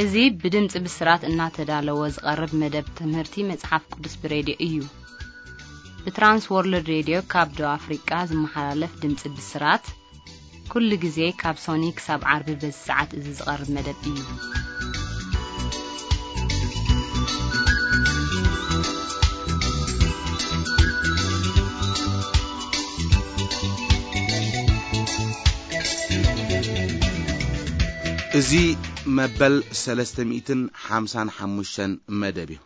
እዚ ብድምፂ ብስራት እናተዳለወ ዝቐርብ መደብ ትምህርቲ መፅሓፍ ቅዱስ ብሬድዮ እዩ። ብትራንስ ወርልድ ሬድዮ ካብ ደቡብ ኣፍሪቃ ዝመሓላለፍ ድምፂ ብስራት ኩሉ ግዜ ካብ ሶኒ ክሳብ ዓርቢ በዚ ሰዓት እዚ ዝቐርብ መደብ እዩ። እዚ መበል ሰለስተ ሚእትን ሓምሳን ሓሙሽተን መደብ እዩ።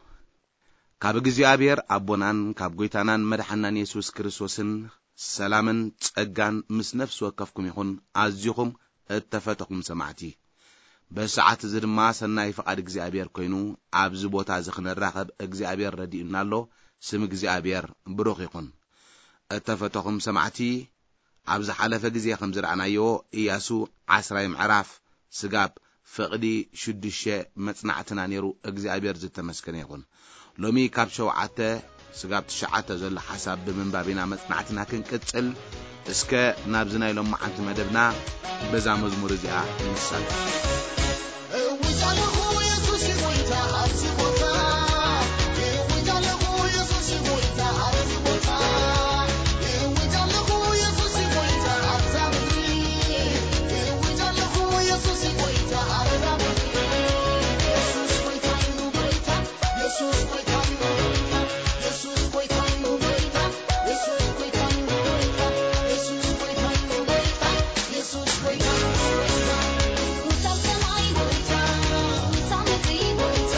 ካብ እግዚኣብሔር ኣቦናን ካብ ጐይታናን መድሓናን የሱስ ክርስቶስን ሰላምን ጸጋን ምስ ነፍሲ ወከፍኩም ይኹን። ኣዚኹም እተፈተኹም ሰማዕቲ፣ በዚ ሰዓት እዚ ድማ ሰናይ ፍቓድ እግዚኣብሔር ኮይኑ ኣብዚ ቦታ እዚ ክንራኸብ እግዚኣብሔር ረዲኡና ኣሎ። ስም እግዚኣብሔር ብሩኽ ይኹን። እተፈተኹም ሰማዕቲ፣ ኣብ ዝሓለፈ ግዜ ከም ዝረኣናዮ፣ ኢያሱ ዓስራይ ምዕራፍ ስጋብ ፍቕዲ ሽዱሽተ መጽናዕትና ነይሩ። እግዚኣብሔር ዝተመስገነ ይኹን። ሎሚ ካብ ሸውዓተ ስጋብ ትሽዓተ ዘሎ ሓሳብ ብምንባብ ኢና መጽናዕትና ክንቅጽል። እስከ ናብዚ ናይ ሎማዓንቲ መደብና በዛ መዝሙር እዚኣ ንሳተፍ። እውጅ ኣለኹ የሱስ እዩ ጎይታ ኣብዚ ቦታ። እውጅ ኣለኹ የሱስ እዩ ጎይታ ኣብዚ ቦታ። እውጅ ኣለኹ የሱስ እዩ ጎይታ ኣብዛ ምድሪ። እውጅ ኣለኹ የሱስ እዩ ጎይታ ኣብዛ ምድሪ። የሱስ ጎይታ እዩ ጎይታ። የሱስ ጎይታ እዩ ጎይታ። የሱስ ጎይታ እዩ ጎይታ። የሱስ ጎይታ እዩ ጎይታ። የሱስ ጎይታ እዩ ጎይታ። የሱስ ጎይታ እዩ ጎይታ። ውሳብ ሰማይ ጎይታ፣ ውሳብ ምድሪ ጎይታ።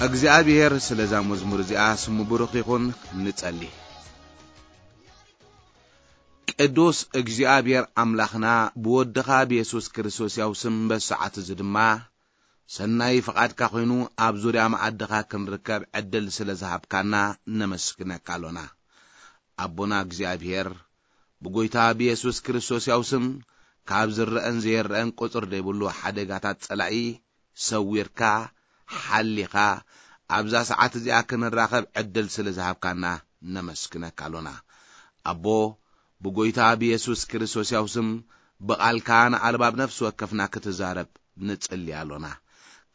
እግዚኣብሔር ስለዛ መዝሙር እዚኣ ስሙ ብሩኽ ይኹን። ንጸሊ። ቅዱስ እግዚኣብሔር ኣምላኽና፣ ብወድኻ ብየሱስ ክርስቶስ ያው ስም በሰዓት እዚ ድማ ሰናይ ፍቓድካ ኮይኑ ኣብ ዙርያ መኣድኻ ክንርከብ ዕድል ስለ ዝሃብካና ነመስግነካ ኣሎና። ኣቦና እግዚኣብሔር፣ ብጎይታ ብየሱስ ክርስቶስ ያው ስም ካብ ዝረአን ዘይረአን ቁጽር ዘይብሉ ሓደጋታት ጸላኢ ሰዊርካ፣ ሓሊኻ፣ ኣብዛ ሰዓት እዚኣ ክንራኸብ ዕድል ስለ ዝሃብካና ነመስግነካ ኣሎና። ኣቦ፣ ብጎይታ ብየሱስ ክርስቶስ ያው ስም ብቓልካ ንኣልባብ ነፍሲ ወከፍና ክትዛረብ ንጽሊ ኣሎና።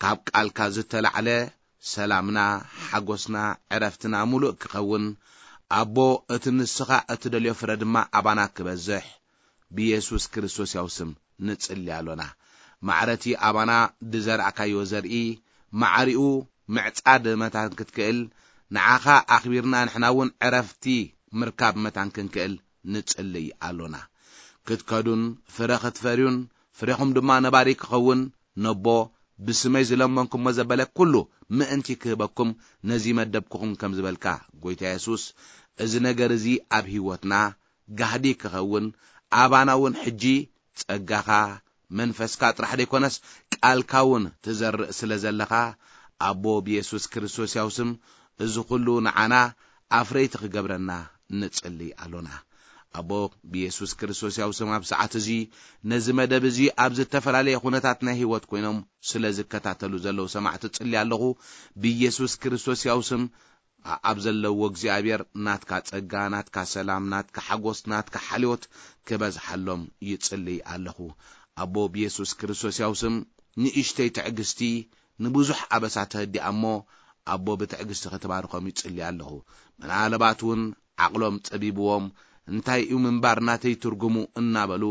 ካብ ቃልካ ዝተላዕለ ሰላምና፣ ሓጎስና፣ ዕረፍትና ምሉእ ክኸውን፣ ኣቦ፣ እቲ ንስኻ እትደልዮ ፍረ ድማ ኣባና ክበዝሕ፣ ብየሱስ ክርስቶስ ያው ስም ንጽሊ ኣሎና። ማዕረቲ ኣባና ዝዘራእካዮ ዘርኢ፣ ማዕሪኡ ምዕጻድ መታን ክትክእል፣ ንዓኻ ኣኽቢርና ንሕና እውን ዕረፍቲ ምርካብ መታን ክንክእል ንጽልይ ኣሎና። ክትከዱን ፍረ ክትፈርዩን፣ ፍሬኹም ድማ ነባሪ ክኸውን፣ ነቦ፣ ብስመይ ዝለመንኩሞ ዘበለ ኩሉ ምእንቲ ክህበኩም ነዚ መደብኩኹም ከም ዝበልካ፣ ጎይታ የሱስ፣ እዚ ነገር እዚ ኣብ ህይወትና ጋህዲ ክኸውን፣ ኣባና እውን ሕጂ ጸጋኻ፣ መንፈስካ ጥራሕ ዘይኮነስ ቃልካ እውን ትዘርእ ስለ ዘለኻ፣ ኣቦ ብየሱስ ክርስቶስ ያው ስም እዚ ኩሉ ንዓና ኣፍረይቲ ክገብረና ንጽሊ ኣሎና። ኣቦ ብየሱስ ክርስቶስ ያው ስም ኣብ ሰዓት እዚ ነዚ መደብ እዚ ኣብ ዝተፈላለየ ኩነታት ናይ ህይወት ኮይኖም ስለ ዝከታተሉ ዘለዉ ሰማዕቲ ጽሊ ኣለኹ። ብየሱስ ክርስቶስ ያው ስም ኣ-፣ ኣብ ዘለዎ እግዚኣብሔር ናትካ ጸጋ፣ ናትካ ሰላም፣ ናትካ ሓጎስ፣ ናትካ ሓልዮት ክበዝሓሎም ይጽልይ ኣለኹ። ኣቦ ብየሱስ ክርስቶስ ያው ስም ንእሽተይ ትዕግስቲ ንብዙሕ ኣበሳ ተህዲኣ እሞ፣ ኣቦ ብትዕግስቲ ክትባርኾም ይጽልይ ኣለኹ። ምናልባት እውን ዓቕሎም ጸቢብዎም፣ እንታይ እዩ ምንባር ናተይ ትርጉሙ እናበሉ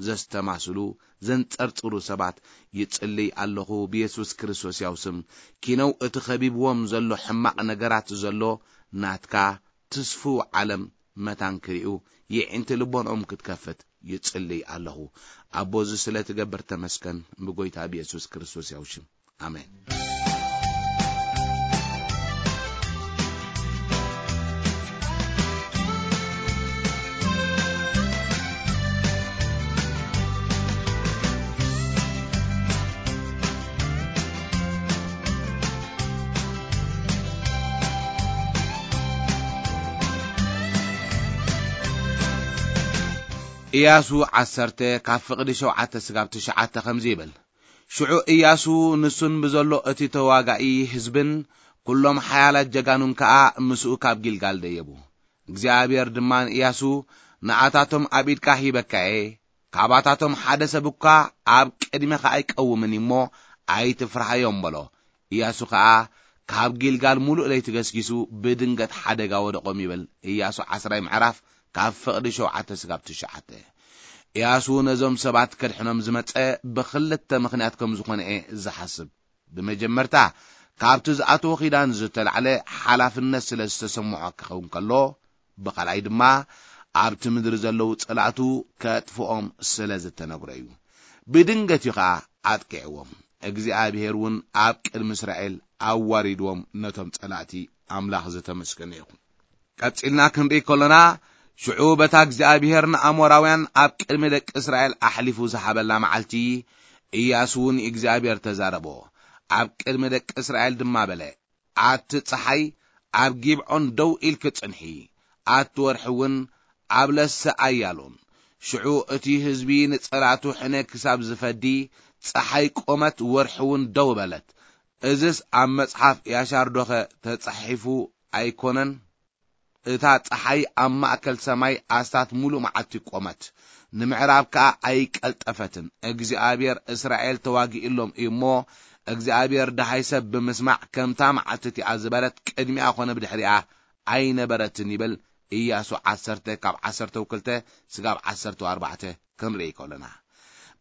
ዘስተማስሉ፣ ዘንጸርጽሩ ሰባት ይጽልይ ኣለኹ ብየሱስ ክርስቶስ ያው ስም። ኪነው እቲ ከቢብዎም ዘሎ ሕማቕ ነገራት ዘሎ ናትካ ትስፍው ዓለም መታን ክርእዩ የዒንቲ ልቦንኦም ክትከፍት ይጽልይ ኣለኹ። ኣቦ፣ እዚ ስለ ትገብር ተመስገን ብጎይታ ብየሱስ ክርስቶስ ያው ሽም። ኣሜን። ኢያሱ ዓሰርተ ካብ ፍቕዲ ሸውዓተ ስጋብ ትሽዓተ ከምዚ ይብል። ሽዑ ኢያሱ ንሱን ብዘሎ እቲ ተዋጋኢ ህዝብን ኩሎም ሓያላት ጀጋኑን ከኣ ምስኡ ካብ ጊልጋል ደየቡ። እግዚኣብሔር ድማ ንኢያሱ፣ ንኣታቶም ኣብ ኢድካ ሂበካ እየ፣ ካባታቶም ሓደ ሰብ እኳ ኣብ ቅድሜኻ ኣይቀውምን እሞ ኣይትፍርሃዮም በሎ። ኢያሱ ኸኣ ካብ ጊልጋል ምሉእ ለይቲ ገስጊሱ ብድንገት ሓደጋ ወደቖም ይብል። ኢያሱ ዓስራይ ምዕራፍ ካብ ፍቕዲ ሸውዓተ ስጋብ ትሽዓተ። ኢያሱ ነዞም ሰባት ከድሕኖም ዝመጸ ብኽልተ ምኽንያት ከም ዝኾነ እየ ዝሓስብ። ብመጀመርታ፣ ካብቲ ዝኣተዎ ኺዳን ዝተላዕለ ሓላፍነት ስለ ዝተሰምዖ ክኸውን ከሎ፣ ብኻልኣይ ድማ ኣብቲ ምድሪ ዘለዉ ጸላእቱ ከጥፍኦም ስለ ዝተነግሮ እዩ። ብድንገት እዩ ኸኣ ኣጥቂዕዎም። እግዚኣብሔር እውን ኣብ ቅድሚ እስራኤል ኣዋሪድዎም ነቶም ጸላእቲ። ኣምላኽ ዝተመስገነ ይኹን። ቀጺልና ክንርኢ ከሎና፣ ሽዑ በታ እግዚኣብሔር ንኣሞራውያን ኣብ ቅድሚ ደቂ እስራኤል ኣሕሊፉ ዝሃበላ መዓልቲ፣ ኢያሱ ንእግዚኣብሔር ተዛረቦ። ኣብ ቅድሚ ደቂ እስራኤል ድማ በለ፣ ኣቲ ጸሓይ ኣብ ጊብዖን ደው ኢልኪ ጽንሒ፣ ኣቲ ወርሒ እውን ኣብ ለሰ ኣያሎን። ሽዑ እቲ ህዝቢ ንጸላእቱ ሕነ ክሳብ ዝፈዲ፣ ጸሓይ ቆመት፣ ወርሒ እውን ደው በለት። እዝስ ኣብ መጽሓፍ ያሻር ዶኸ ተጻሒፉ ኣይኮነን? እታ ጸሓይ ኣብ ማእከል ሰማይ ኣስታት ምሉእ መዓልቲ ቆመት፣ ንምዕራብ ከኣ ኣይቀልጠፈትን። እግዚኣብሔር እስራኤል ተዋጊእሎም እዩ እሞ፣ እግዚኣብሔር ደሃይ ሰብ ብምስማዕ ከምታ መዓልቲ እቲኣ ዝበረት ቅድሚኣ ኾነ ብድሕሪኣ ኣይነበረትን ይብል። ኢያሱ ዓሰርተ ካብ ዓሰርተ ክልተ ስጋብ ዓሰርተ ኣርባዕተ ክንርኢ ከሎና፣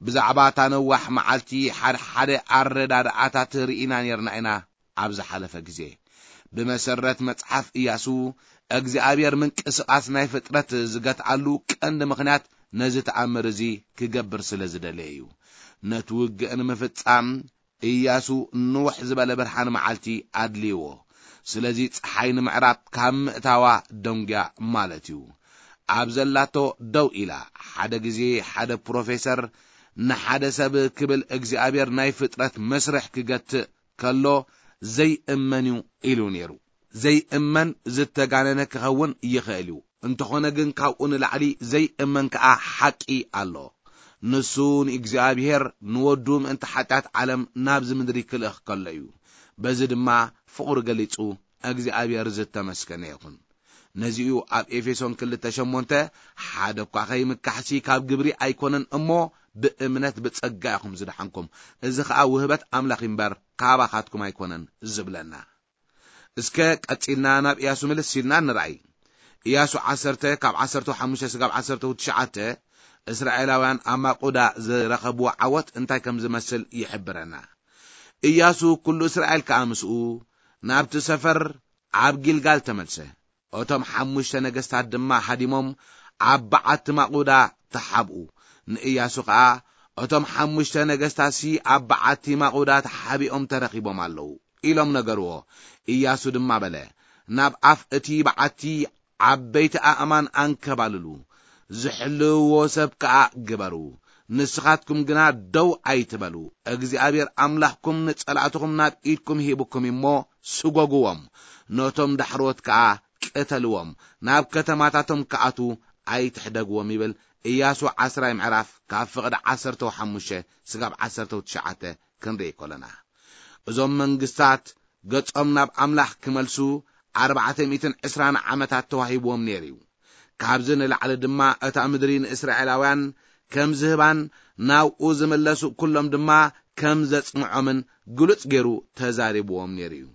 ብዛዕባ እታ ነዋሕ መዓልቲ ሓደ ሓደ ኣረዳድኣታት ርኢና ኔርና ኢና። ኣብ ዝሓለፈ ግዜ፣ ብመሰረት መጽሓፍ ኢያሱ፣ እግዚኣብሔር ምንቅስቓስ ናይ ፍጥረት ዝገትኣሉ ቀንዲ ምኽንያት ነዚ ተኣምር እዚ ክገብር ስለ ዝደለየ እዩ። ነቲ ውግእ ንምፍጻም ኢያሱ ንውሕ ዝበለ ብርሃን መዓልቲ ኣድልይዎ። ስለዚ ጸሓይ ንምዕራብ ካብ ምእታዋ ደንጉያ ማለት እዩ። ኣብ ዘላቶ ደው ኢላ፣ ሓደ ግዜ ሓደ ፕሮፌሰር ንሓደ ሰብ ክብል እግዚኣብሔር ናይ ፍጥረት መስርሕ ክገትእ ከሎ ዘይእመን እዩ ኢሉ ነይሩ። ዘይእመን ዝተጋነነ ክኸውን ይኽእል እዩ። እንተኾነ ግን ካብኡ ንላዕሊ ዘይእመን ከኣ ሓቂ ኣሎ። ንሱ ንእግዚኣብሔር ንወዱ ምእንቲ ሓጢኣት ዓለም ናብዚ ምድሪ ክልእኽ ከሎ እዩ። በዚ ድማ ፍቕሩ ገሊጹ እግዚኣብሔር ዝተመስገነ ይኹን። ነዚኡ ኣብ ኤፌሶን ክልተ ሸሞንተ ሓደ እኳ ከይምካሕሲ ካብ ግብሪ ኣይኮነን እሞ ብእምነት ብጸጋ ኢኹም ዝደሓንኩም። እዚ ኸኣ ውህበት ኣምላኽ እምበር ካባኻትኩም ኣይኮነን ዝብለና። እስከ ቀጺልና ናብ ኢያሱ ምልስ ኢልና ንርኣይ። ኢያሱ ዓሰርተ ካብ ዓሰርተ ሓሙሽተ ስጋብ ዓሰርተ ትሽዓተ እስራኤላውያን ኣብ ማቁዳ ዝረኸብዎ ዓወት እንታይ ከም ዝመስል ይሕብረና። ኢያሱ ኩሉ እስራኤል ከኣ ምስኡ ናብቲ ሰፈር ኣብ ጊልጋል ተመልሰ። እቶም ሓሙሽተ ነገስታት ድማ ሃዲሞም ኣብ በዓቲ ማቁዳ ተሓብኡ። ንኢያሱ ከኣ እቶም ሓሙሽተ ነገስታትሲ ኣብ በዓቲ ማቁዳ ተሓቢኦም ተረኺቦም ኣለዉ ኢሎም ነገርዎ። ኢያሱ ድማ በለ፣ ናብ ኣፍ እቲ በዓቲ ዓበይቲ ኣእማን ኣንከባልሉ፣ ዝሕልውዎ ሰብ ከኣ ግበሩ። ንስኻትኩም ግና ደው ኣይትበሉ። እግዚኣብሔር ኣምላኽኩም ንጸላእትኹም ናብ ኢድኩም ሂብኩም እሞ ስጎግዎም፣ ነቶም ዳሕሮት ከኣ ቅተልዎም፣ ናብ ከተማታቶም ክኣትዉ ኣይትሕደግዎም ይብል ኢያሱ ዓስራይ ምዕራፍ ካብ ፍቕዲ ዓሰርተ ሓሙሽተ ስጋብ ዓሰርተ ትሽዓተ ክንርኢ ከለና። እዞም መንግስታት ገጾም ናብ ኣምላኽ ክመልሱ ኣርባዕተ ሚእትን ዕስራን ዓመታት ተዋሂብዎም ነይሩ እዩ። ካብዚ ንላዕሊ ድማ እታ ምድሪ ንእስራኤላውያን ከም ዝህባን ናብኡ ዝምለሱ ኩሎም ድማ ከም ዘጽንዖምን ግሉጽ ገይሩ ተዛሪብዎም ነይሩ እዩ።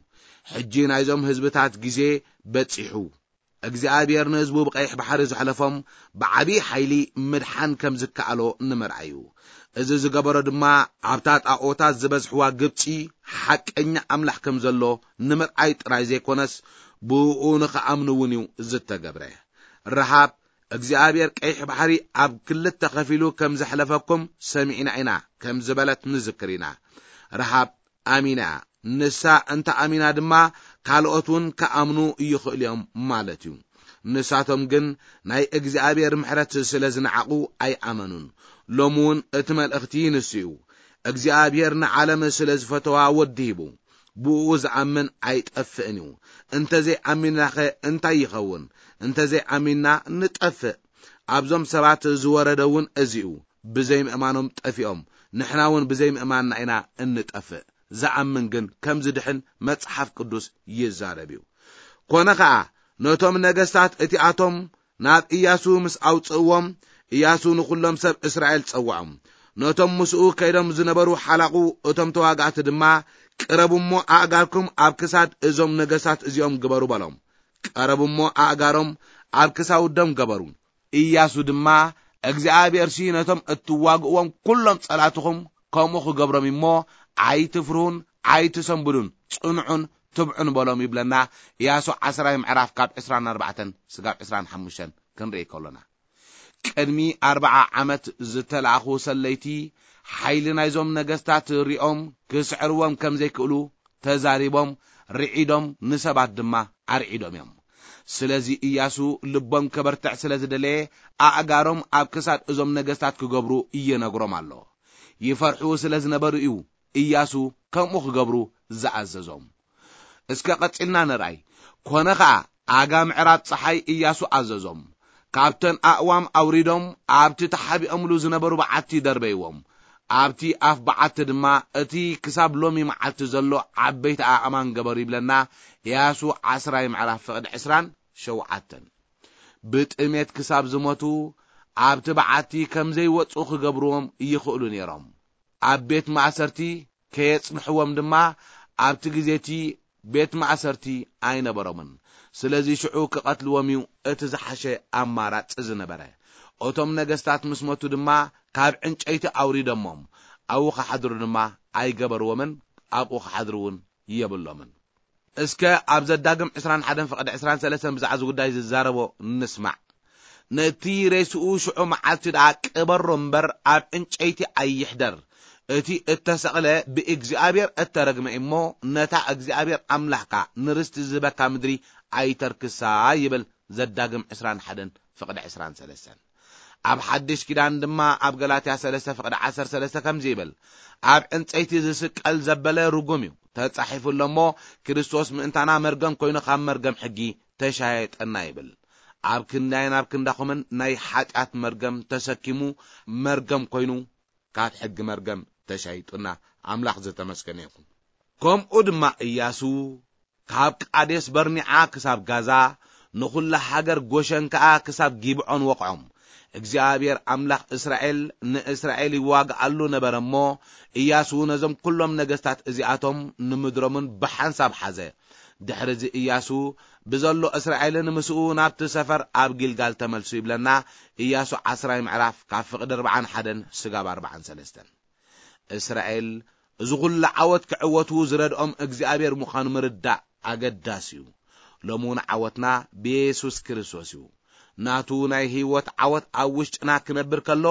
ሕጂ ናይዞም ህዝብታት ግዜ በጺሑ። እግዚኣብሔር ንህዝቡ ብቀይሕ ባሕሪ ዘሕለፎም ብዓብዪ ሓይሊ ምድሓን ከም ዝከኣሎ ንምርኣይ እዩ። እዚ ዝገበሮ ድማ ኣብታ ጣኦታት ዝበዝሕዋ ግብጺ ሓቀኛ ኣምላኽ ከም ዘሎ ንምርኣይ ጥራይ ዘይኮነስ ብእኡ ንኽኣምኑ እውን እዩ ዝተገብረ። ረሃብ እግዚኣብሔር ቀይሕ ባሕሪ ኣብ ክልተ ከፊሉ ከም ዘሕለፈኩም ሰሚዕና ኢና ከም ዝበለት ንዝክር ኢና። ረሃብ ኣሚና እያ። ንሳ እንተ ኣሚና ድማ ካልኦት እውን ክኣምኑ ይኽእሉ እዮም ማለት እዩ። ንሳቶም ግን ናይ እግዚኣብሔር ምሕረት ስለ ዝነዓቑ ኣይኣመኑን። ሎሚ እውን እቲ መልእኽቲ ንሱ እዩ። እግዚኣብሔር ንዓለም ስለ ዝፈተዋ ወዲ ሂቡ። ብእኡ ዝኣምን ኣይጠፍእን እዩ። እንተዘይኣሚንናኸ እንታይ ይኸውን? እንተዘይኣሚንና ንጠፍእ። ኣብዞም ሰባት ዝወረደ እውን እዚ እዩ። ብዘይምእማኖም ጠፊኦም። ንሕና እውን ብዘይምእማንና ኢና እንጠፍእ። ዝኣምን ግን ከም ዝድሕን መጽሓፍ ቅዱስ ይዛረብ እዩ። ኮነ ኸኣ ነቶም ነገስታት እቲኣቶም ናብ ኢያሱ ምስ ኣውጽእዎም፣ ኢያሱ ንኹሎም ሰብ እስራኤል ጸውዖም። ነቶም ምስኡ ከይዶም ዝነበሩ ሓላቑ እቶም ተዋጋእቲ ድማ፣ ቅረቡ እሞ ኣእጋርኩም ኣብ ክሳድ እዞም ነገስታት እዚኦም ግበሩ በሎም። ቀረቡ እሞ ኣእጋሮም ኣብ ክሳውዶም ገበሩ። ኢያሱ ድማ፣ እግዚኣብሔርሲ ነቶም እትዋግእዎም ኩሎም ጸላትኹም ከምኡ ክገብሮም እሞ፣ ኣይትፍርሁን፣ ኣይትሰንብዱን፣ ጽንዑን ትብዑን በሎም ይብለና። ኢያሱ ዓስራይ ምዕራፍ ካብ ዕስራን ኣርባዕተን ስጋብ ዕስራን ሓሙሽተን ክንርኢ ከሎና። ቅድሚ ኣርብዓ ዓመት ዝተላእኹ ሰለይቲ ሓይሊ ናይዞም ነገስታት ሪኦም ክስዕርዎም ከም ዘይክእሉ ተዛሪቦም፣ ርዒዶም፣ ንሰባት ድማ ኣርዒዶም እዮም። ስለዚ ኢያሱ ልቦም ከበርትዕ ስለ ዝደለየ፣ ኣእጋሮም ኣብ ክሳድ እዞም ነገስታት ክገብሩ ይነግሮም ኣሎ። ይፈርሑ ስለ ዝነበሩ እዩ ኢያሱ ከምኡ ክገብሩ ዝኣዘዞም። እስከ ቀጺልና ንርኣይ። ኮነ ኸኣ፣ ኣጋ ምዕራብ ጸሓይ ኢያሱ ኣዘዞም። ካብተን ኣእዋም ኣውሪዶም ኣብቲ ተሓቢኦምሉ ዝነበሩ በዓቲ ደርበይዎም። ኣብቲ ኣፍ በዓቲ ድማ እቲ ክሳብ ሎሚ መዓልቲ ዘሎ ዓበይቲ ኣእማን ገበሩ ይብለና። ኢያሱ ዓስራይ ምዕራፍ ፍቕዲ ዕስራን ሸውዓተን። ብጥሜት ክሳብ ዝሞቱ ኣብቲ በዓቲ ከም ዘይወጹ ክገብርዎም ይኽእሉ ነይሮም። ኣብ ቤት ማእሰርቲ ከየጽንሕዎም ድማ ኣብቲ ግዜ እቲ ቤት ማእሰርቲ ኣይነበሮምን። ስለዚ ሽዑ ክቐትልዎም እዩ እቲ ዝሓሸ ኣማራጺ ዝነበረ። እቶም ነገስታት ምስ መቱ ድማ ካብ ዕንጨይቲ ኣውሪዶሞም ኣብኡ ክሓድሩ ድማ ኣይገበርዎምን፣ ኣብኡ ክሓድሩ እውን የብሎምን። እስከ ኣብ ዘዳግም ዕስራን ሓደን ፍቕዲ ዕስራን ሰለስተን ብዛዕባ እዚ ጉዳይ ዝዛረቦ ንስማዕ። ነቲ ሬስኡ ሽዑ መዓልቲ ደኣ ቅበሮ እምበር ኣብ ዕንጨይቲ ኣይሕደር፣ እቲ እተሰቕለ ብእግዚኣብሔር እተረግመ እሞ፣ ነታ እግዚኣብሔር ኣምላኽካ ንርስቲ ዝህበካ ምድሪ ኣይተርክሳ ይብል። ዘዳግም ዕስራን ሓደን ፍቕዲ ዕስራን ሰለስተን። ኣብ ሓድሽ ኪዳን ድማ ኣብ ገላትያ ሰለስተ ፍቕዲ ዓሰርተ ሰለስተ ከምዚ ይብል፣ ኣብ ዕንጸይቲ ዝስቀል ዘበለ ርጉም እዩ፣ ተጻሒፉ ኣሎ እሞ፣ ክርስቶስ ምእንታና መርገም ኮይኑ ካብ መርገም ሕጊ ተሻየጠና ይብል። ኣብ ክንዳይን ኣብ ክንዳኹምን ናይ ሓጢኣት መርገም ተሰኪሙ መርገም ኮይኑ ካብ ሕጊ መርገም ተሻይጡና። ኣምላኽ ዝተመስገነ ይኹን። ከምኡ ድማ እያሱ ካብ ቃዴስ በርኒዓ ክሳብ ጋዛ፣ ንኹላ ሃገር ጎሸን ከኣ ክሳብ ጊብዖን ወቕዖም። እግዚኣብሔር ኣምላኽ እስራኤል ንእስራኤል ይዋግኣሉ ነበረ እሞ፣ እያሱ ነዞም ኩሎም ነገስታት እዚኣቶም ንምድሮምን ብሓንሳብ ሓዘ። ድሕሪ እዚ እያሱ ብዘሎ እስራኤልን ምስኡ ናብቲ ሰፈር ኣብ ጊልጋል ተመልሱ ይብለና። እያሱ ዓስራይ ምዕራፍ ካብ ፍቕዲ ኣርባዓን ሓደን ስጋብ ኣርባዓን ሰለስተን። እስራኤል እዚ ኹሉ ዓወት ክዕወቱ ዝረድኦም እግዚኣብሔር ምዃኑ ምርዳእ ኣገዳሲ እዩ። ሎሚ እውን ዓወትና ብየሱስ ክርስቶስ እዩ። ናቱ ናይ ህይወት ዓወት ኣብ ውሽጥና ክነብር ከሎ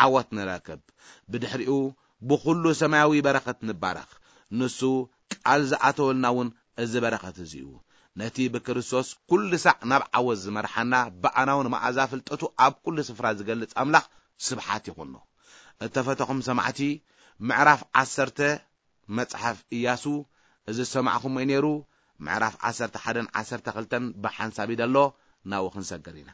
ዓወት ንረክብ። ብድሕሪኡ ብኹሉ ሰማያዊ በረኸት ንባረኽ። ንሱ ቃል ዝኣተወልና እውን እዚ በረኸት እዚ እዩ። ነቲ ብክርስቶስ ኩሉ ሳዕ ናብ ዓወት ዝመርሓና፣ ብኣናውን መኣዛ ፍልጠቱ ኣብ ኩሉ ስፍራ ዝገልጽ ኣምላኽ ስብሓት ይኹኖ። እተፈተኹም ሰማዕቲ፣ ምዕራፍ ዓሰርተ መጽሓፍ ኢያሱ፣ እዚ ዝሰማዕኹሞ እዩ ነይሩ። ምዕራፍ ዓሰርተ ሓደን ዓሰርተ ክልተን ብሓንሳብ እዩ ዘሎ። ናብኡ ክንሰግር ኢና።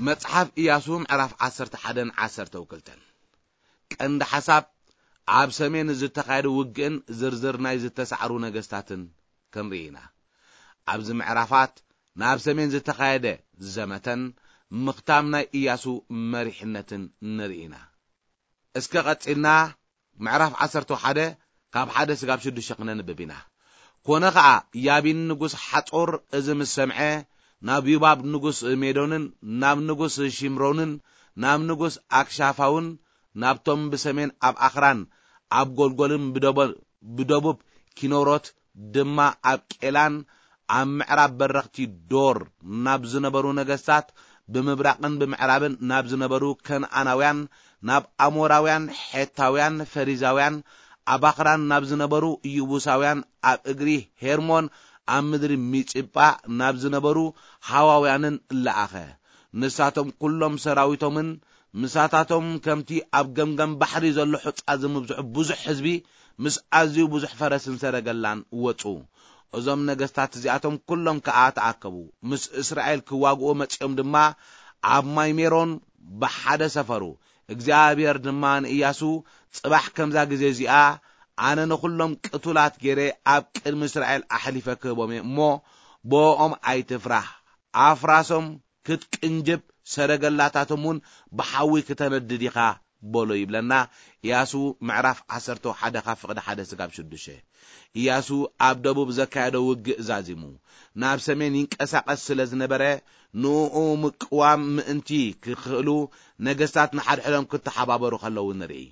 መጽሓፍ ኢያሱ ምዕራፍ ዓሰርተ ሓደን ዓሰርተ ክልተን። ቀንዲ ሓሳብ፣ ኣብ ሰሜን ዝተኻየደ ውግእን ዝርዝር ናይ ዝተሳዕሩ ነገስታትን ክንርኢ ኢና። ኣብዚ ምዕራፋት ናብ ሰሜን ዝተኻየደ ዘመተን ምኽታም ናይ ኢያሱ መሪሕነትን ንርኢ ኢና። እስከ ቀጺልና ምዕራፍ ዓሰርተ ሓደ ካብ ሓደ ስጋብ ሽዱሽተ ክነንብብ ኢና። ኮነ ኸኣ ያቢን ንጉስ ሓጾር እዚ ምስ ሰምዐ፣ ናብ ዩባብ ንጉስ ሜዶንን ናብ ንጉስ ሺምሮንን ናብ ንጉስ ኣክሻፋውን ናብቶም ብሰሜን ኣብ ኣኽራን ኣብ ጎልጎልን ብደቦ-፣ ብደቡብ ኪኖሮት ድማ ኣብ ቄላን ኣብ ምዕራብ በረኽቲ ዶር ናብ ዝነበሩ ነገስታት፣ ብምብራቕን ብምዕራብን ናብ ዝነበሩ ከነኣናውያን፣ ናብ ኣሞራውያን፣ ሔታውያን፣ ፈሪዛውያን፣ ኣብ ኣኽራን ናብ ዝነበሩ ይቡሳውያን፣ ኣብ እግሪ ሄርሞን ኣብ ምድሪ ሚጽጳ ናብ ዝነበሩ ሃዋውያንን ለኣኸ። ንሳቶም ኩሎም ሰራዊቶምን ምሳታቶም ከምቲ ኣብ ገምገም ባሕሪ ዘሎ ሑጻ ዝምብዝሑ ብዙሕ ህዝቢ ምስ ኣዝዩ ብዙሕ ፈረስን ሰረገላን ወጹ። እዞም ነገስታት እዚኣቶም ኩሎም ከኣ ተኣከቡ። ምስ እስራኤል ክዋግኡ መጺኦም ድማ ኣብ ማይ ሜሮን ብሓደ ሰፈሩ። እግዚኣብሔር ድማ ንኢያሱ፣ ጽባሕ ከምዛ ግዜ እዚኣ ኣነ ንኹሎም ቅቱላት ገይረ ኣብ ቅድሚ እስራኤል ኣሕሊፈ ክህቦም እየ እሞ፣ ብኦም ኣይትፍራህ። ኣፍራሶም ክትቅንጅብ፣ ሰረገላታቶም እውን ብሓዊ ክተነድድ ኢኻ በሎ ይብለና። ኢያሱ ምዕራፍ ዓሰርተ ሓደ ካብ ፍቕዲ ሓደ ስጋብ ሽዱሽተ። ኢያሱ ኣብ ደቡብ ዘካየዶ ውግእ ዛዚሙ ናብ ሰሜን ይንቀሳቐስ ስለ ዝነበረ፣ ንኡ ምቅዋም ምእንቲ ክኽእሉ ነገስታት ንሓድሕዶም ክተሓባበሩ ከለዉ ንርኢ።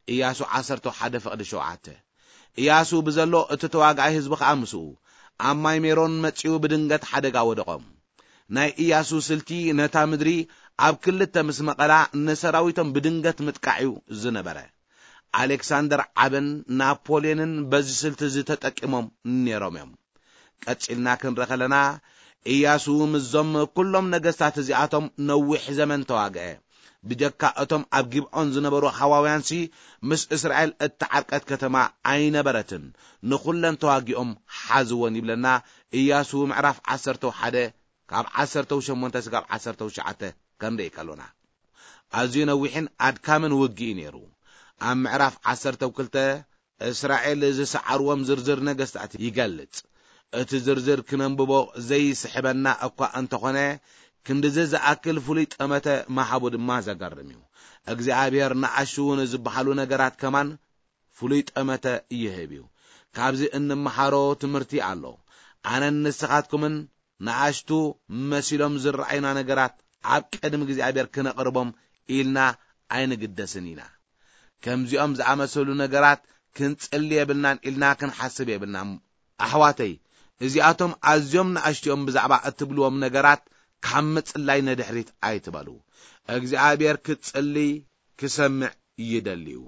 ኢያሱ ዓሰርተ ሓደ ፍቕዲ ሸውዓተ። ኢያሱ ብዘሎ እቲ ተዋጋኢ ህዝቢ ኸኣ ምስኡ ኣብ ማይ ሜሮን መጺኡ ብድንገት ሓደጋ ወደቖም። ናይ ኢያሱ ስልቲ ነታ ምድሪ ኣብ ክልተ ምስ መቐላ ንሰራዊቶም ብድንገት ምጥቃዕ እዩ ዝነበረ። ኣሌክሳንደር ዓብን ናፖልዮንን በዚ ስልቲ እዚ ተጠቂሞም ነይሮም እዮም። ቀጺልና ክንርኢ ከለና፣ ኢያሱ ምስዞም ኩሎም ነገስታት እዚኣቶም ነዊሕ ዘመን ተዋግአ። ብጀካ እቶም ኣብ ጊብዖን ዝነበሩ ሃዋውያንሲ፣ ምስ እስራኤል እተዓርቀት ከተማ ኣይነበረትን። ንኹለን ተዋጊኦም ሓዝወን ይብለና ኢያሱ ምዕራፍ ዓሰርተ ሓደ ካብ ዓሰርተ ሸሞንተ ስጋብ ዓሰርተ ትሽዓተ ክንርኢ ከሎና። ኣዝዩ ነዊሕን ኣድካምን ውግእ እዩ ነይሩ። ኣብ ምዕራፍ ዓሰርተ ክልተ እስራኤል ዝሰዓርዎም ዝርዝር ነገስታት ይገልጽ። እቲ ዝርዝር ክነንብቦ ዘይስሕበና እኳ እንተኾነ፣ ክንድዚ ዝኣክል ፍሉይ ጠመተ ምሃቡ ድማ ዘገርም እዩ። እግዚኣብሔር ንኣሽቱ ንዝበሃሉ ነገራት ከማን ፍሉይ ጠመተ ይህብ እዩ። ካብዚ እንመሃሮ ትምህርቲ ኣሎ። ኣነን ንስኻትኩምን ንኣሽቱ መሲሎም ዝረኣዩና ነገራት ኣብ ቅድሚ እግዚኣብሔር ክነቕርቦም ኢልና ኣይንግደስን ኢና። ከምዚኦም ዝኣመሰሉ ነገራት ክንጽሊ የብልናን ኢልና ክንሓስብ የብልናን። ኣሕዋተይ፣ እዚኣቶም ኣዝዮም ንኣሽትኦም ብዛዕባ እትብልዎም ነገራት ካብ ምጽላይ ንድሕሪት ኣይትበሉ። እግዚኣብሔር ክትጽሊ ክሰምዕ ይደልዩ።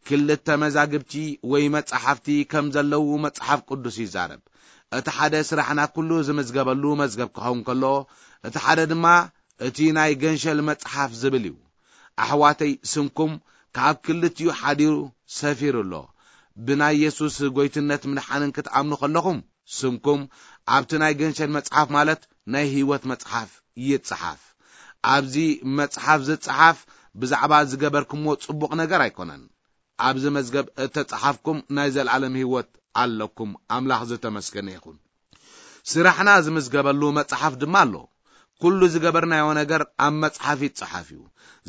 ክልተ መዛግብቲ ወይ መጻሕፍቲ ከም ዘለዉ መጽሓፍ ቅዱስ ይዛረብ። እቲ ሓደ ስራሕና ኩሉ ዝምዝገበሉ መዝገብ ክኸውን ከሎ፣ እቲ ሓደ ድማ እቲ ናይ ገንሸል መጽሓፍ ዝብል እዩ። ኣሕዋተይ፣ ስምኩም ካብ ክልቲኡ ሓዲሩ ሰፊሩ ኣሎ። ብናይ የሱስ ጎይትነት ምድሓንን ክትኣምኑ ከለኹም፣ ስምኩም ኣብቲ ናይ ገንሸል መጽሓፍ፣ ማለት ናይ ህይወት መጽሓፍ ይጽሓፍ። ኣብዚ መጽሓፍ ዝጽሓፍ ብዛዕባ ዝገበርኩምዎ ጽቡቕ ነገር ኣይኮነን። ኣብዚ መዝገብ እተጻሓፍኩም ናይ ዘለኣለም ህይወት ኣለኩም። ኣምላኽ ዝተመስገነ ይኹን። ስራሕና ዝምዝገበሉ መጽሓፍ ድማ ኣሎ። ኩሉ ዝገበርናዮ ነገር ኣብ መጽሓፍ ይጸሓፍ እዩ።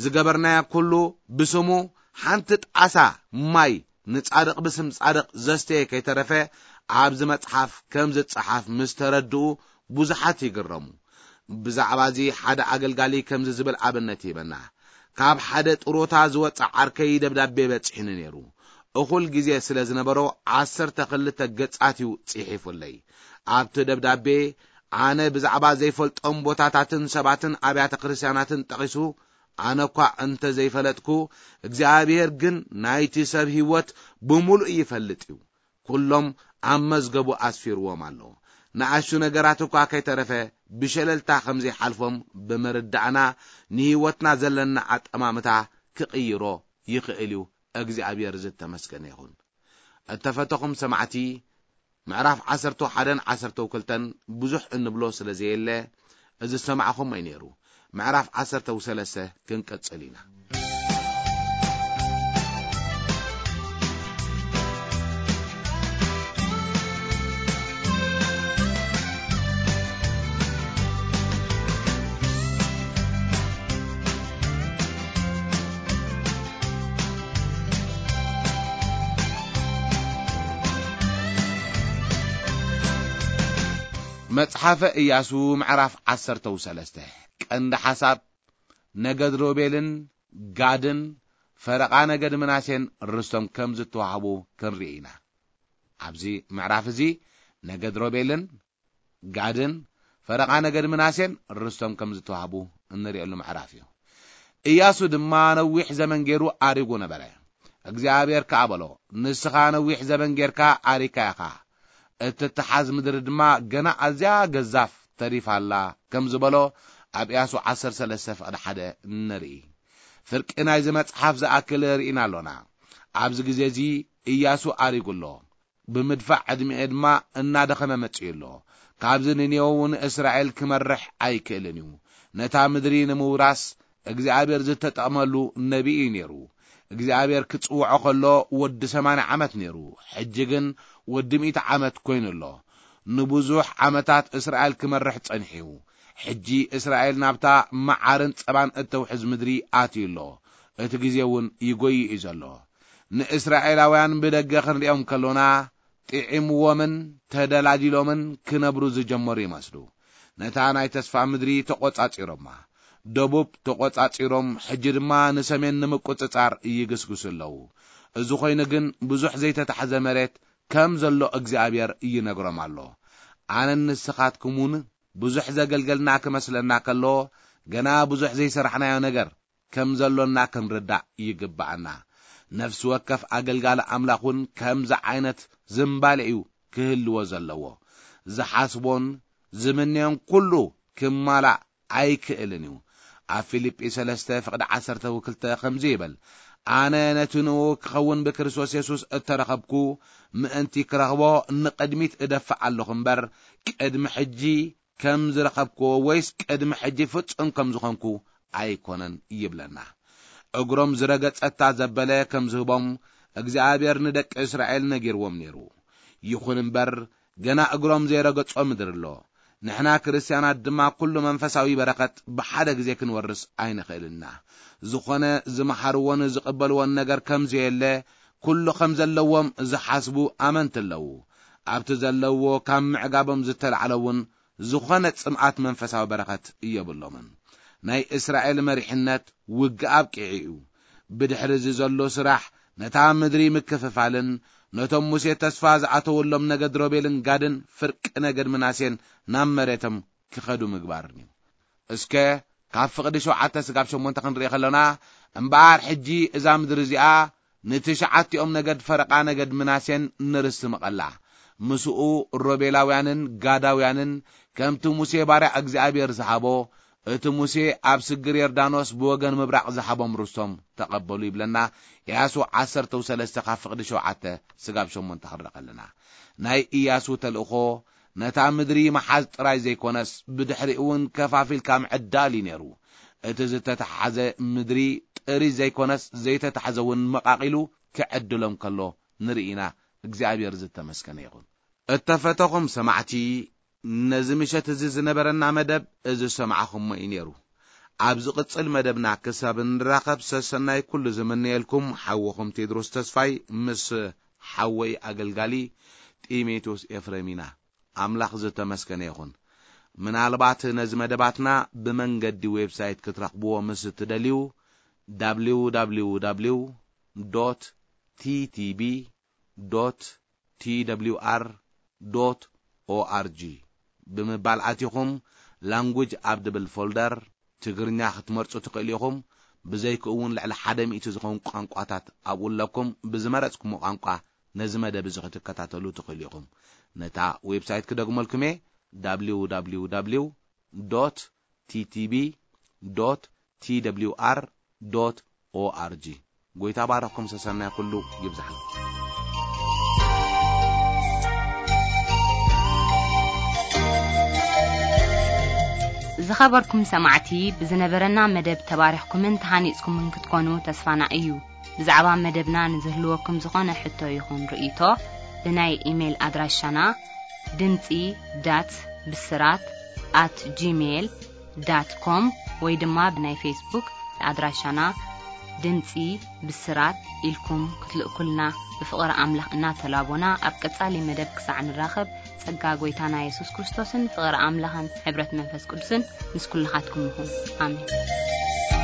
ዝገበርናዮ ኩሉ ብስሙ፣ ሓንቲ ጣሳ ማይ ንጻድቕ ብስም ጻድቕ ዘስተየ ከይተረፈ ኣብዚ መጽሓፍ ከም ዝጸሓፍ ምስ ተረድኡ ብዙሓት ይግረሙ። ብዛዕባ እዚ ሓደ ኣገልጋሊ ከምዚ ዝብል ኣብነት ይህበና። ካብ ሓደ ጥሮታ ዝወጽእ ዓርከይ ደብዳቤ በጺሑኒ ነይሩ። እኹል ግዜ ስለ ዝነበሮ ዓሰርተ ክልተ ገጻት እዩ ጽሒፉለይ። ኣብቲ ደብዳቤ ኣነ ብዛዕባ ዘይፈልጦም ቦታታትን ሰባትን ኣብያተ ክርስቲያናትን ጠቒሱ፣ ኣነ እኳ እንተ ዘይፈለጥኩ፣ እግዚኣብሔር ግን ናይቲ ሰብ ህይወት ብምሉእ ይፈልጥ እዩ። ኩሎም ኣብ መዝገቡ ኣስፊርዎም ኣሎ። ንኣሽቱ ነገራት እኳ ከይተረፈ ብሸለልታ ከም ዘይሓልፎም ብምርዳእና፣ ንህይወትና ዘለና ኣጠማምታ ክቕይሮ ይኽእል እዩ። እግዚኣብሔር ዝተመስገነ ይኹን። እተፈተኹም ሰማዕቲ፣ ምዕራፍ ዓሰርተ ሓደን ዓሰርተ ክልተን ብዙሕ እንብሎ ስለ ዘየለ፣ እዚ ዝሰማዕኹም እዩ ነይሩ። ምዕራፍ ዓሰርተ ሰለስተ ክንቅጽል ኢና። መጽሓፈ ኢያሱ ምዕራፍ ዓሰርተ ሰለስተ። ቀንዲ ሓሳብ፣ ነገድ ሮቤልን ጋድን ፈረቓ ነገድ ምናሴን ርስቶም ከም ዝተዋህቡ ክንርኢ ኢና። ኣብዚ ምዕራፍ እዚ ነገድ ሮቤልን ጋድን ፈረቓ ነገድ ምናሴን ርስቶም ከም ዝተዋህቡ እንርእየሉ ምዕራፍ እዩ። ኢያሱ ድማ ነዊሕ ዘመን ገይሩ ኣሪጉ ነበረ። እግዚኣብሔር ከኣ በሎ፣ "ንስኻ ነዊሕ ዘመን ጌርካ ኣሪካ ኢኻ፣ እትተሓዝ ምድሪ ድማ ገና ኣዝያ ገዛፍ ተሪፋ ኣላ" ከም ዝበሎ ኣብ ኢያሱ ዓሰርተ ሰለስተ ፍቕዲ ሓደ ንርኢ። ፍርቂ ናይዚ መጽሓፍ ዝኣክል ርኢና ኣሎና። ኣብዚ ግዜ እዚ ኢያሱ ኣሪጉ ኣሎ። ብምድፋዕ ዕድሚኡ ድማ እናደኸመ መጺኡ ኣሎ። ካብዚ ንኔው ንእስራኤል ክመርሕ ኣይክእልን እዩ። ነታ ምድሪ ንምውራስ እግዚኣብሔር ዝተጠቕመሉ ነቢይ እዩ ነይሩ። እግዚኣብሔር ክጽውዖ ከሎ ወዲ ሰማንያ ዓመት ነይሩ። ሕጂ ግን ወዲ ሚእቲ ዓመት ኮይኑ ኣሎ። ንብዙሕ ዓመታት እስራኤል ክመርሕ ጸኒሑ እዩ። ሕጂ እስራኤል ናብታ መዓርን ጸባን እተውሕዝ ምድሪ ኣትዩ ኣሎ። እቲ ግዜ እውን ይጎይ እዩ ዘሎ። ንእስራኤላውያን ብደገ ክንሪኦም ከሎና፣ ጥዒምዎምን ተደላዲሎምን ክነብሩ ዝጀመሩ ይመስሉ። ነታ ናይ ተስፋ ምድሪ ተቖጻጺሮማ። ደቡብ ተቖጻጺሮም፣ ሕጂ ድማ ንሰሜን ንምቁጽጻር ይግስግሱ ኣለዉ። እዚ ኾይኑ ግን፣ ብዙሕ ዘይተታሕዘ መሬት ከም ዘሎ እግዚኣብሔር ይነግሮም ኣሎ። ኣነን ንስኻትኩምን ብዙሕ ዘገልገልና ክመስለና ከሎ፣ ገና ብዙሕ ዘይሰራሕናዮ ነገር ከም ዘሎና ክንርዳእ ይግብኣና። ነፍሲ ወከፍ ኣገልጋሊ ኣምላኽ እውን ከምዚ ዓይነት ዝንባሌ እዩ ክህልዎ ዘለዎ። ዝሓስቦን ዝምነዮን ኩሉ ክማላእ ኣይክእልን እዩ። ኣብ ፊልጲ ሰለስተ ፍቕዲ ዓሰርተ ክልተ ከምዚ ይብል፣ "ኣነ ነቲ ንኡ ክኸውን ብክርስቶስ የሱስ እተረኸብኩ ምእንቲ ክረኽቦ ንቕድሚት እደፍእ ኣለኹ እምበር፣ ቅድሚ ሕጂ ከም ዝረኸብክዎ ወይስ ቅድሚ ሕጂ ፍጹም ከም ዝኾንኩ ኣይኮነን" ይብለና። እግሮም ዝረገጸታ ዘበለ ከም ዝህቦም እግዚኣብሔር ንደቂ እስራኤል ነጊርዎም ነይሩ። ይኹን እምበር፣ ገና እግሮም ዘይረገጾ ምድሪ ኣሎ። ንሕና ክርስትያናት ድማ ኩሉ መንፈሳዊ በረኸት ብሓደ ግዜ ክንወርስ ኣይንኽእልና። ዝኾነ ዝመሃርዎን ዝቕበልዎን ነገር ከም ዘየለ፣ ኩሉ ከም ዘለዎም ዝሓስቡ ኣመንቲ ኣለዉ። ኣብቲ ዘለዎ ካብ ምዕጋቦም ዝተላዕለ እውን ዝኾነ ጽምኣት መንፈሳዊ በረኸት የብሎምን። ናይ እስራኤል መሪሕነት ውግእ ኣብቂዑ እዩ። ብድሕሪ እዚ ዘሎ ስራሕ ነታ ምድሪ ምክፍፋልን ነቶም ሙሴ ተስፋ ዝኣተወሎም ነገድ ሮቤልን ጋድን ፍርቂ ነገድ ምናሴን ናብ መሬቶም ክኸዱ ምግባርን እዩ። እስከ ካብ ፍቕዲ ሸውዓተ ስጋብ ሸሞንተ ክንርኢ ከለና፣ እምበኣር ሕጂ እዛ ምድሪ እዚኣ ንትሽዓቲኦም ነገድ ፈረቓ ነገድ ምናሴን ንርስቲ ምቐላ። ምስኡ ሮቤላውያንን ጋዳውያንን ከምቲ ሙሴ ባርያ እግዚኣብሔር ዝሃቦ፣ እቲ ሙሴ ኣብ ስግር ዮርዳኖስ ብወገን ምብራቕ ዝሃቦም ርስቶም ተቐበሉ ይብለና። ኢያሱ ዓሰርተ ሰለስተ ካብ ፍቕዲ ሸውዓተ ስጋብ ሸሞንተ ክንርኢ ከለና፣ ናይ ኢያሱ ተልእኾ ነታ ምድሪ መሓዝ ጥራይ ዘይኮነስ፣ ብድሕሪኡ እውን ከፋፊልካ ምዕዳል እዩ ነይሩ። እቲ ዝተተሓዘ ምድሪ ጥሪት ዘይኮነስ፣ ዘይተታሕዘ እውን መቓቒሉ ክዕድሎም ከሎ ንርኢ ኢና። እግዚኣብሔር ዝተመስገነ ይኹን። እተፈተኹም ሰማዕቲ፣ ነዚ ምሸት እዚ ዝነበረና መደብ እዚ ዝሰማዕኹሞ እዩ ነይሩ። ኣብ ዝቕጽል መደብና ክሳብ እንራኸብ ሰሰናይ ኩሉ ዝምነየልኩም ሓውኹም ቴድሮስ ተስፋይ ምስ ሓወይ ኣገልጋሊ ጢሞቴዎስ ኤፍሬም ኢና። ኣምላኽ ዝተመስገነ ይኹን። ምናልባት ነዚ መደባትና ብመንገዲ ዌብሳይት ክትረኽብዎ ምስ እትደልዩ፣ www.ttb.twr.org ብምባል ኣቲኹም፣ ላንጉጅ ኣብ ድብል ፎልደር ትግርኛ ክትመርጹ ትኽእሉ ኢኹም። ብዘይክኡ እውን ልዕሊ ሓደ ሚእቲ ዝኾኑ ቋንቋታት ኣብኡ ኣለኩም። ብዝመረጽኩሞ ቋንቋ ነዚ መደብ እዚ ክትከታተሉ ትኽእሉ ኢኹም። ነታ ዌብሳይት ክደግመልኩም እየ፣ www.ttb.twr.org። ጎይታ ባረኽኩም፣ ሰሰናይ ኩሉ ይብዝሓልኩም። ዝኸበርኩም ሰማዕቲ፣ ብዝነበረና መደብ ተባሪኽኩምን ተሃኒጽኩምን ክትኮኑ ተስፋና እዩ። ብዛዕባ መደብና ንዝህልወኩም ዝኾነ ሕቶ ይኹን ርእይቶ፣ ብናይ ኢሜይል ኣድራሻና ድምጺ ዳት ብስራት ኣት ጂሜይል ዳት ኮም ወይ ድማ ብናይ ፌስቡክ ኣድራሻና ድምጺ ብስራት ኢልኩም ክትልእኩልና ብፍቕሪ ኣምላኽ እናተላቦና፣ ኣብ ቀጻሊ መደብ ክሳዕ ንራኸብ፣ ጸጋ ጐይታና የሱስ ክርስቶስን ፍቕሪ ኣምላኽን ሕብረት መንፈስ ቅዱስን ምስ ኩልኻትኩም ይኹን። ኣሜን።